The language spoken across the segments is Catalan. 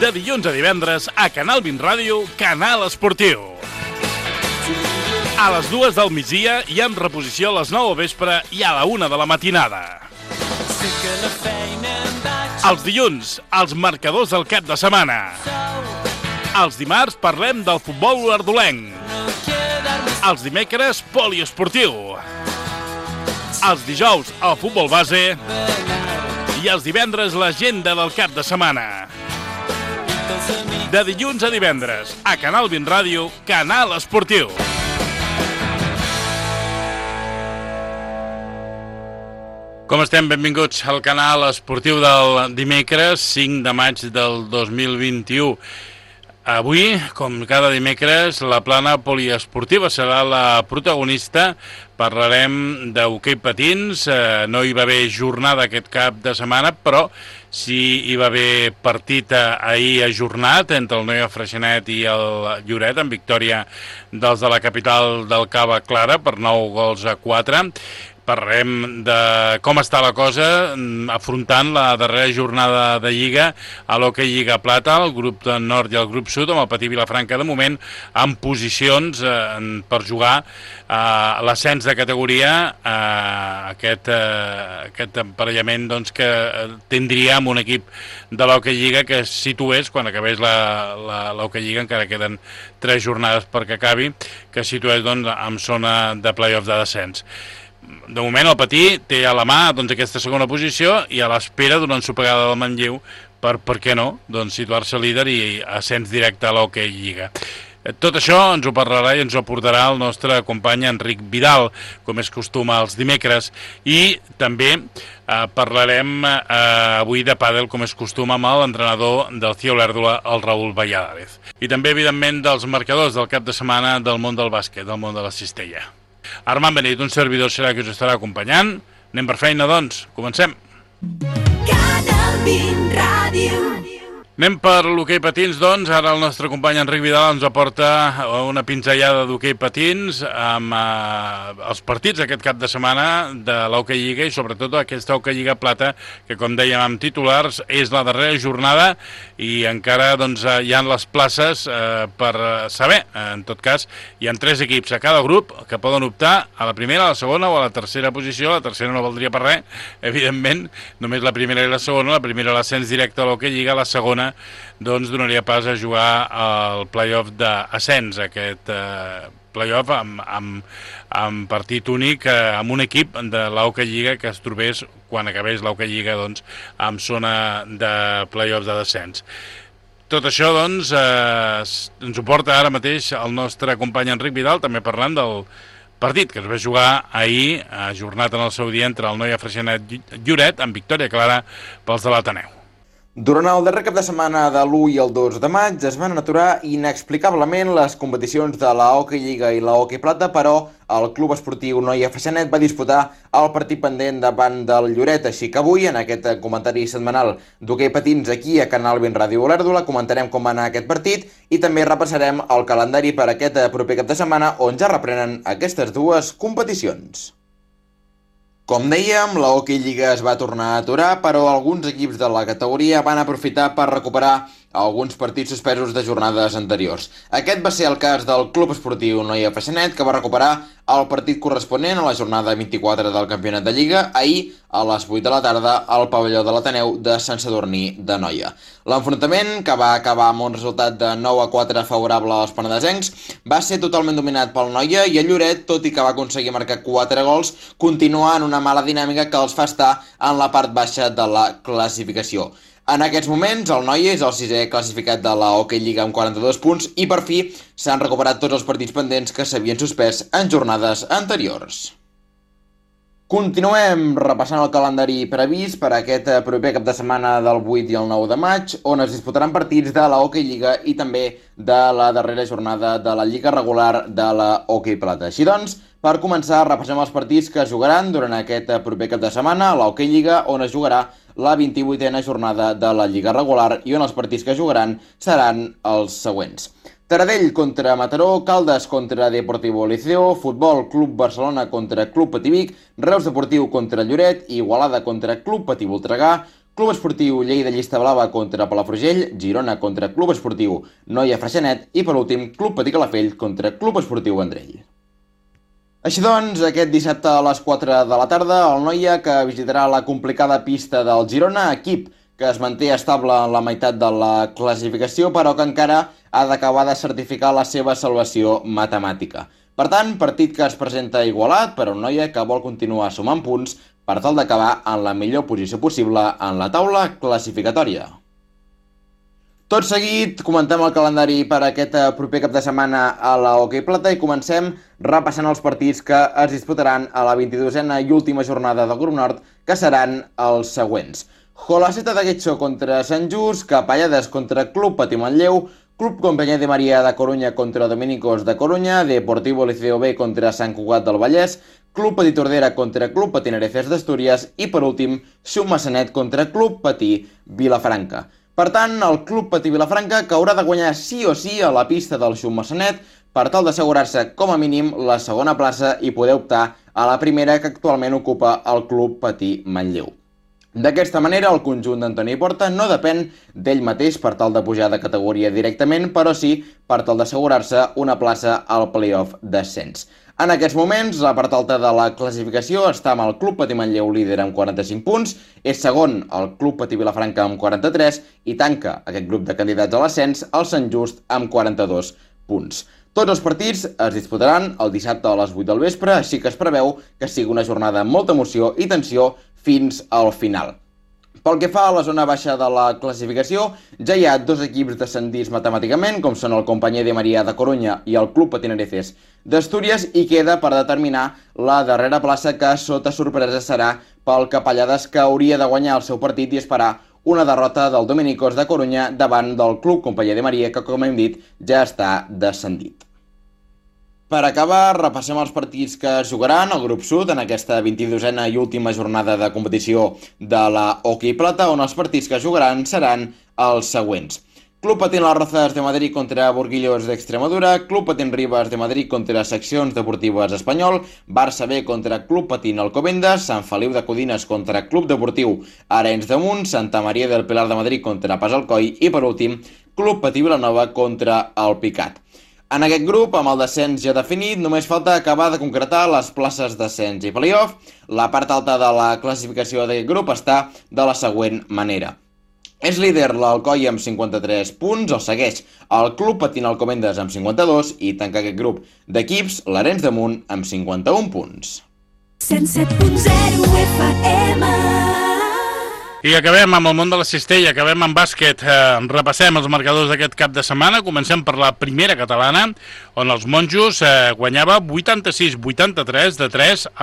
De dilluns a divendres a Canal 20 Ràdio, Canal Esportiu. A les 2 del migdia i amb reposició a les 9 del vespre i a la 1 de la matinada. Els dilluns, els marcadors del cap de setmana. Els dimarts parlem del futbol olordolenc. Els dimecres, poliesportiu. Els dijous, el futbol base. I els divendres, l'agenda del cap de setmana. De dilluns a divendres, a Canal 20 Ràdio, Canal Esportiu. Com estem? Benvinguts al Canal Esportiu del dimecres, 5 de maig del 2021. Avui, com cada dimecres, la plana poliesportiva serà la protagonista. Parlarem d'hoquei patins. No hi va haver jornada aquest cap de setmana, però sí hi va haver partit ahir ajornat entre el Noia Freixenet i el Lloret, en victòria dels de la capital del Cava Clara per 9-4. Parlarem de com està la cosa afrontant la darrera jornada de Lliga a l'Hockey Lliga Plata, el grup de Nord i el grup Sud, amb el Patí Vilafranca de moment en posicions per jugar l'ascens de categoria, aquest emparellament doncs, que tindria amb un equip de l'Hockey Lliga que es situés, quan acabés l'Hockey Lliga, encara queden 3 jornades perquè acabi, que es situés doncs, en zona de play-off de descens. De moment el Patí té a la mà doncs, aquesta segona posició i a l'espera d'una ensopegada del Manlleu per què no, doncs, situar-se líder i ascens directe a l'Hockey Lliga. Tot això ens ho parlarà i ens ho aportarà el nostre company Enric Vidal, com és costum els dimecres, i també parlarem avui de pàdel, com és costum, amb l'entrenador del CIE Olèrdola, el Raül Valladares. I també, evidentment, dels marcadors del cap de setmana del món del bàsquet, del món de la cistella. Armand Benit, un servidor, serà que us estarà acompanyant. Anem per feina, doncs. Comencem. Canal 20 Ràdio. Anem per l'hoquei patins, doncs. Ara el nostre company Enric Vidal ens aporta una pinzellada d'hoquei patins amb els partits aquest cap de setmana de l'Hockey Lliga i sobretot aquesta Hockey Lliga Plata, que com dèiem amb titulars és la darrera jornada i encara doncs, hi ha les places per saber. En tot cas, hi ha 3 equips a cada grup que poden optar a la primera, a la segona o a la tercera posició. La tercera no valdria per res, evidentment, només la primera i la segona. La primera l'ascens directe a l'Hockey Lliga, la segona doncs donaria pas a jugar al play-off d'ascens, aquest play-off amb partit únic amb un equip de l'Hockey Lliga que es trobés, quan acabés l'Hockey Lliga, doncs, en zona de play-off de descens. Tot això, doncs, ens ho porta ara mateix el nostre company Enric Vidal, també parlant del partit que es va jugar ahir, ajornat en el seu dia, entre el Noia Freixenet Lloret, amb victòria clara pels de l'Ateneu. Durant el darrer cap de setmana de l'1 i el 2 de maig es van aturar inexplicablement les competicions de la Hockey Lliga i la Hockey Plata, però el Club Esportiu Noia Freixenet va disputar el partit pendent davant del Lloret, així que avui, en aquest comentari setmanal d'hoquei patins aquí a Canal 20 Ràdio Olèrdola, comentarem com va anar aquest partit i també repassarem el calendari per aquest proper cap de setmana on ja reprenen aquestes dues competicions. Com dèiem, la Hockey Lliga es va tornar a aturar, però alguns equips de la categoria van aprofitar per recuperar alguns partits suspesos de jornades anteriors. Aquest va ser el cas del Club Esportiu Noia Freixenet, que va recuperar el partit corresponent a la jornada 24 del Campionat de Lliga ahir a les 8 de la tarda al pavelló de l'Ateneu de Sant Sadurní de Noia. L'enfrontament, que va acabar amb un resultat de 9-4 favorable als penedesencs, va ser totalment dominat pel Noia i el Lloret, tot i que va aconseguir marcar 4 gols, continua en una mala dinàmica que els fa estar en la part baixa de la classificació. En aquests moments, el Noia és el 6è classificat de la Hockey Lliga amb 42 punts i per fi s'han recuperat tots els partits pendents que s'havien suspès en jornades anteriors. Continuem repassant el calendari previst per aquest proper cap de setmana del 8 i el 9 de maig, on es disputaran partits de la Hockey Lliga i també de la darrera jornada de la Lliga regular de la Hockey Plata. Així doncs, per començar, repassem els partits que es jugaran durant aquest proper cap de setmana a la Hockey Lliga, on es jugarà la 28a jornada de la Lliga regular i on els partits que jugaran seran els següents. Taradell contra Mataró, Caldes contra Deportivo Liceo, Futbol Club Barcelona contra Club Patí Vic, Reus Deportiu contra Lloret, Igualada contra Club Patí Voltregà, Club Esportiu Lleida Llista Blava contra Palafrugell, Girona contra Club Esportiu Noia Freixenet i, per últim, Club Patí Calafell contra Club Esportiu Vendrell. Així doncs, aquest dissabte a les 4 de la tarda, el Noia, que visitarà la complicada pista del Girona, equip que es manté estable en la meitat de la classificació, però que encara ha d'acabar de certificar la seva salvació matemàtica. Per tant, partit que es presenta igualat per a un Noia que vol continuar sumant punts per tal d'acabar en la millor posició possible en la taula classificatòria. Tot seguit, comentem el calendari per aquest proper cap de setmana a la Hockey Plata i comencem repassant els partits que es disputaran a la 22a i última jornada del Grup Nord, que seran els següents. Jolaceta de Guetxó contra Sant Just, Capellades contra Club Patí Manlleu, Club Compañía de María de Coruña contra Dominicos de Coruña, Deportivo Liceo B contra Sant Cugat del Vallès, Club Patí Tordera contra Club Patí Nereces d'Astúries i, per últim, Xumassanet contra Club Patí Vilafranca. Per tant, el Club Patí Vilafranca que haurà de guanyar sí o sí a la pista del Xumassanet per tal d'assegurar-se com a mínim la segona plaça i poder optar a la primera que actualment ocupa el Club Patí Manlleu. D'aquesta manera, el conjunt d'Antoni Porta no depèn d'ell mateix per tal de pujar de categoria directament, però sí per tal d'assegurar-se una plaça al play-off d'ascens. En aquests moments, la part alta de la classificació està amb el Club Patí Manlleu líder amb 45 punts, és segon el Club Patí Vilafranca amb 43 i tanca aquest grup de candidats a l'ascens el Sant Just amb 42 punts. Tots els partits es disputaran el dissabte a les 8 del vespre, així que es preveu que sigui una jornada amb molta emoció i tensió fins al final. Pel que fa a la zona baixa de la classificació, ja hi ha dos equips descendits matemàticament, com són el Compañía de María de Coruña i el Club Patí Nereces d'Astúries, i queda per determinar la darrera plaça que, sota sorpresa, serà pel Capellades, que hauria de guanyar el seu partit i esperar una derrota del Dominicos de Coruña davant del Club Compañía de María, que, com hem dit, ja està descendit. Per acabar, repassem els partits que es jugaran al grup sud en aquesta 22a i última jornada de competició de la Hockey Plata, on els partits que es jugaran seran els següents. Club Patín Las Rozas de Madrid contra Burguillos d'Extremadura, Club Patín Rivas de Madrid contra Seccions Deportives Espanyol, Barça B contra Club Patín Alcobendas, Sant Feliu de Codines contra Club Deportiu Arenys de Munt, Santa Maria del Pilar de Madrid contra Pas Alcoi i, per últim, Club Patí Vilanova contra el Picat. En aquest grup, amb el descens ja definit, només falta acabar de concretar les places d'ascens i play-off. La part alta de la classificació d'aquest grup està de la següent manera. És líder l'Alcoi amb 53 punts, el segueix el Club Patín Alcobendas amb 52 i tanca aquest grup d'equips l'Arenys de Munt amb 51 punts. 107.0 FM. I acabem amb el món de la cistella, acabem amb bàsquet. Repassem els marcadors d'aquest cap de setmana. Comencem per la primera catalana, on els monjos guanyava 86-83 de 3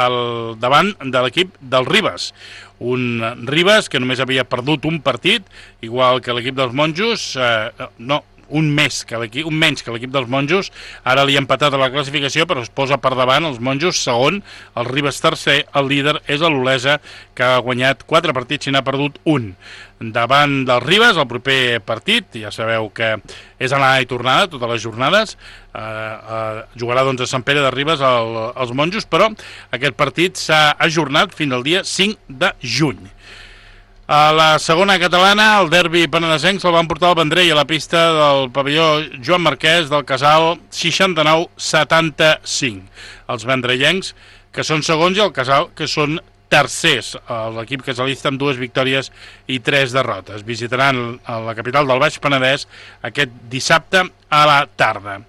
davant de l'equip del Ribes. Un Ribes que només havia perdut un partit, igual que l'equip dels monjos, un menys que l'equip dels monjos. Ara li ha empatat a la classificació, però es posa per davant els monjos segon, el Ribes tercer, el líder és l'Olesa, que ha guanyat 4 partits i n'ha perdut un. Davant del Ribes, el proper partit, ja sabeu que és anada i tornada totes les jornades, jugarà doncs a Sant Pere de Ribes els monjos, però aquest partit s'ha ajornat fins al dia 5 de juny. A la segona catalana, el derbi penedesenc se'l van portar al Vendrell a la pista del pavelló Joan Marquès del Casal 69-75. Els vendrellencs, que són segons, i el Casal, que són tercers. L'equip casalista amb 2 victòries i 3 derrotes. Visitaran la capital del Baix Penedès aquest dissabte a la tarda.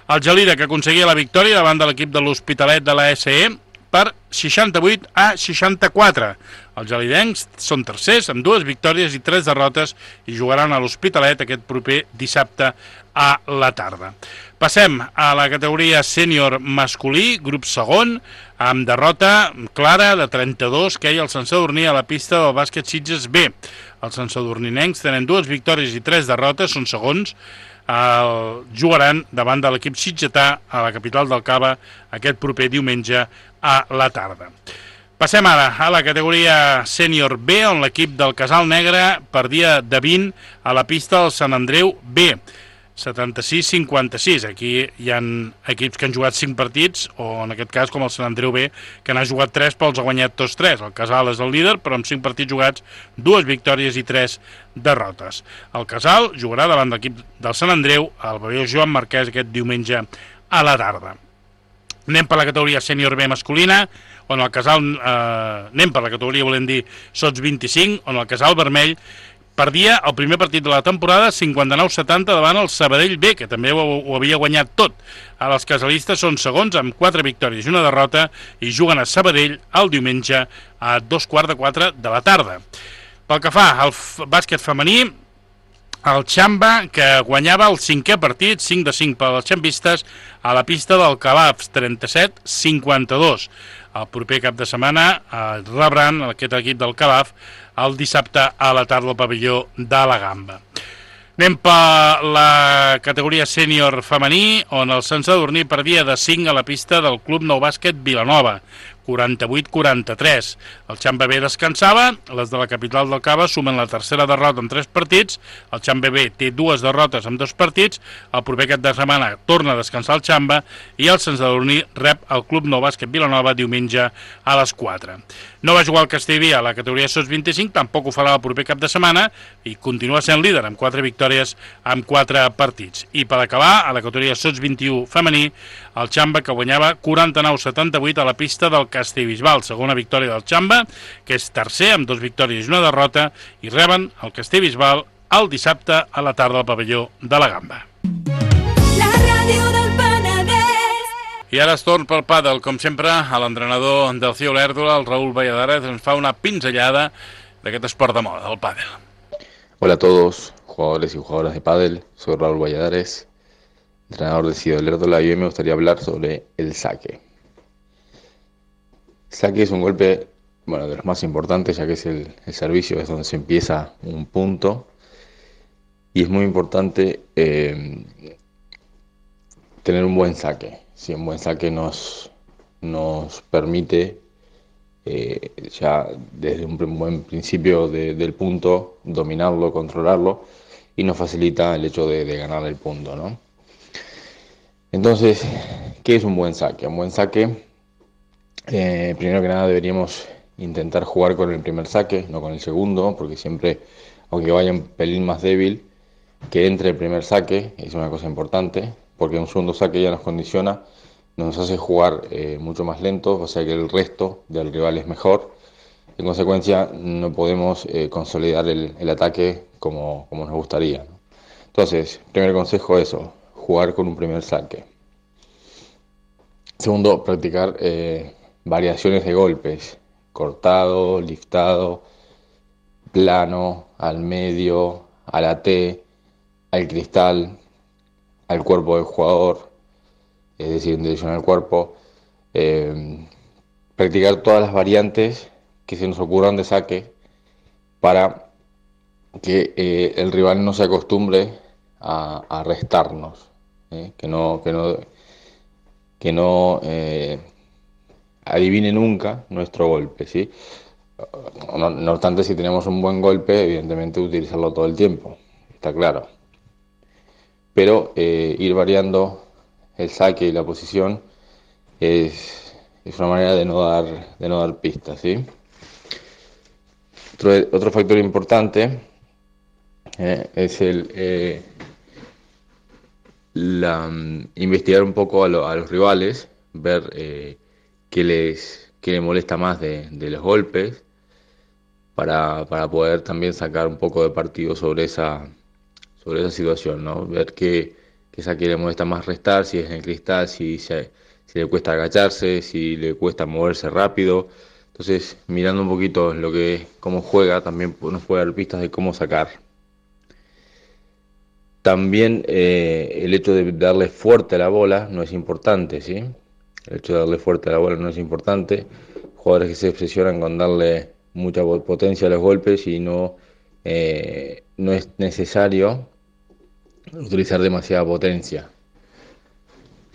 El Gelida, que aconseguia la victòria davant de l'equip de l'Hospitalet de la SE, per 68-64. Els gelidencs són tercers amb 2 victòries i 3 derrotes i jugaran a l'Hospitalet aquest proper dissabte a la tarda. Passem a la categoria sènior masculí, grup segon, amb derrota clara de 32 que hi ha el Sant Sadurní a la pista del bàsquet Sitges B. Els Sant Sadurninencs tenen 2 victòries i 3 derrotes, són segons, jugaran davant de l'equip sitgetà a la capital del Cava aquest proper diumenge a la tarda. Passem ara a la categoria sènior B, on l'equip del Casal Negre perdia de 20 a la pista del Sant Andreu B. 76-56. Aquí hi ha equips que han jugat 5 partits, o en aquest cas com el Sant Andreu B, que n'ha jugat 3 però els ha guanyat tots 3. El Casal és el líder, però amb 5 partits jugats, 2 victòries i 3 derrotes. El Casal jugarà davant l'equip del Sant Andreu al pavelló Joan Marquès aquest diumenge a la tarda. Anem per la categoria sènior B masculina, on el Casal... anem per la categoria, volem dir, sots 25, on el Casal Vermell perdia el primer partit de la temporada 59-70 davant el Sabadell B, que també ho havia guanyat tot. Ara els casalistes són segons amb 4 victòries i una derrota i juguen a Sabadell el diumenge a 3:15 de la tarda. Pel que fa al bàsquet femení, el Xamba, que guanyava el 5è partit, 5-5 per als xambistes, a la pista del Calaf, 37-52. El proper cap de setmana rebran aquest equip del Calaf el dissabte a la tarda al pavelló de la Gamba. Anem per la categoria sènior femení, on el Sant Sadurní perdia de 5 a la pista del Club Nou Bàsquet Vilanova, 48-43. El Xamba B descansava, les de la capital del Cava sumen la tercera derrota en 3 partits, el Xamba B té 2 derrotes en 2 partits, el proper cap de setmana torna a descansar el Xamba i el Sant Sadurní rep el Club Nou Bàsquet Vilanova diumenge a les 4. No va jugar el Castellví a la categoria sots 25, tampoc ho farà el proper cap de setmana i continua sent líder amb 4 victòries en 4 partits. I per acabar, a la categoria sots 21 femení, el Xamba que guanyava 49-78 a la pista del Castellbisbal, segona victòria del Xamba, que és tercer amb 2 victòries i una derrota, i reben el Castellbisbal el dissabte a la tarda al pavelló de la Gamba. La ràdio del Penedès. I ara es torna pel pàdel, com sempre, a l'entrenador del CIO Olèrdola, el Raúl Valladares, ens fa una pinzellada d'aquest esport de moda, el pàdel. Hola a todos, jugadores y jugadoras de pádel, soy Raúl Valladares, entrenador del CIO Olèrdola, y hoy me gustaría hablar sobre el saque. Saque es un golpe, bueno, de los más importantes, ya que es el servicio, es donde se empieza un punto, y es muy importante tener un buen saque. Si un buen saque nos permite ya desde un buen principio del punto dominarlo, controlarlo, y nos facilita el hecho de ganar el punto, ¿no? Entonces, ¿qué es un buen saque? Un buen saque, primero que nada deberíamos intentar jugar con el primer saque, no con el segundo, porque siempre, aunque vaya un pelín más débil, que entre el primer saque es una cosa importante, porque un segundo saque ya nos condiciona, nos hace jugar mucho más lento, o sea que el resto del rival es mejor. En consecuencia, no podemos consolidar el ataque como nos gustaría, ¿no? Entonces, primer consejo eso, jugar con un primer saque. Segundo, practicar variaciones de golpes, cortado, liftado, plano, al medio, a la T, al cristal, al cuerpo del jugador, es decir, en dirección al cuerpo. Practicar todas las variantes que se nos ocurran de saque para que el rival no se acostumbre a restarnos, que no adivine nunca nuestro golpe, ¿sí? No obstante, si tenemos un buen golpe, evidentemente utilizarlo todo el tiempo, está claro. Pero ir variando el saque y la posición es una manera de no dar pistas, ¿sí? Otro factor importante es investigar un poco a los rivales, ver qué les molesta más de los golpes, para poder también sacar un poco de partido sobre esa situación, ¿no? Ver qué saque le molesta más restar, si es en el cristal, si le cuesta agacharse, si le cuesta moverse rápido. Entonces, mirando un poquito cómo juega, también nos puede dar pistas de cómo sacar. También el hecho de darle fuerte a la bola no es importante, ¿sí? El hecho de darle fuerte a la bola no es importante. Jugadores que se obsesionan con darle mucha potencia a los golpes y no es necesario utilizar demasiada potencia.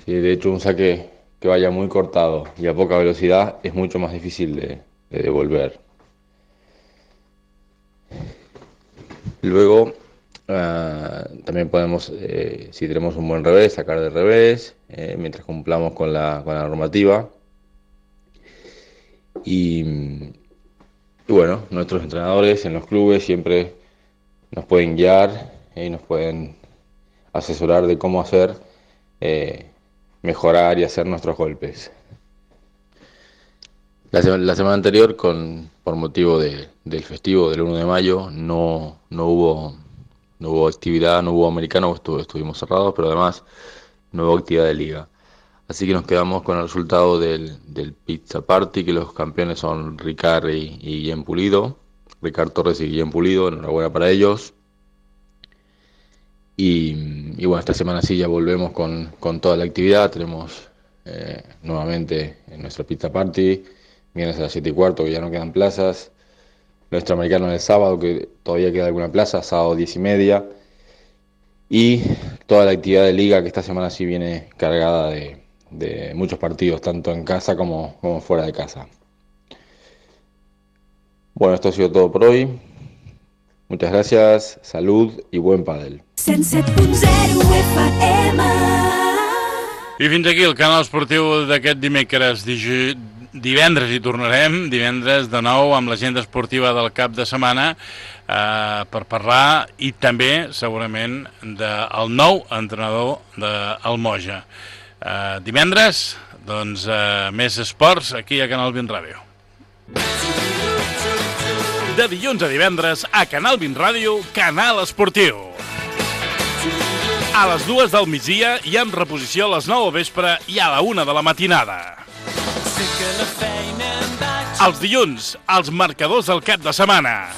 Sí, de hecho, un saque que vaya muy cortado y a poca velocidad es mucho más difícil de devolver. Luego, También podemos, si tenemos un buen revés, sacar de revés, mientras cumplamos con la normativa. Y bueno, nuestros entrenadores en los clubes siempre nos pueden guiar y nos pueden asesorar de cómo hacer, mejorar y hacer nuestros golpes. La semana anterior, por motivo del festivo del 1 de mayo, no hubo actividad, no hubo americano, estuvimos cerrados, pero además no hubo actividad de liga. Así que nos quedamos con el resultado del Pizza Party, que los campeones son Ricard y Guillem Pulido. Ricard Torres y Guillem Pulido, enhorabuena para ellos. Y bueno, esta semana sí ya volvemos con toda la actividad. Tenemos nuevamente nuestra Pizza Party, viernes a las 7:15, que ya no quedan plazas. Nuestro americano el sábado, que todavía queda alguna plaza, sábado 10:30. Y toda la actividad de liga, que esta semana sí viene cargada de muchos partidos, tanto en casa como fuera de casa. Bueno, esto ha sido todo por hoy. Muchas gracias, salud i buen pàdel. 107.0 FM. I fins aquí el canal esportiu d'aquest dimecres. Divendres hi tornarem, divendres de nou amb l'agenda esportiva del cap de setmana per parlar i també segurament del nou entrenador del Moja. Divendres, doncs, més esports aquí a Canal 20 Ràdio. De dilluns a divendres a Canal 20 Ràdio, Canal Esportiu. A les 2 del migdia i amb reposició a les 9 del vespre i a la 1 de la matinada. Els dilluns, els marcadors del cap de setmana.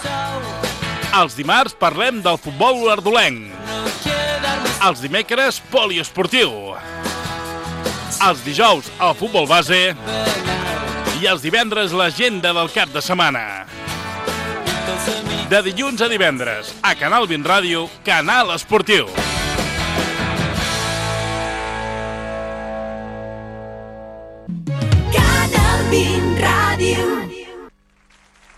Els dimarts parlem del futbol olordolenc. Els dimecres, poliesportiu. Els dijous, el futbol base. I els divendres, l'agenda del cap de setmana. De dilluns a divendres, a Canal 20 Ràdio, Canal Esportiu. Canal 20.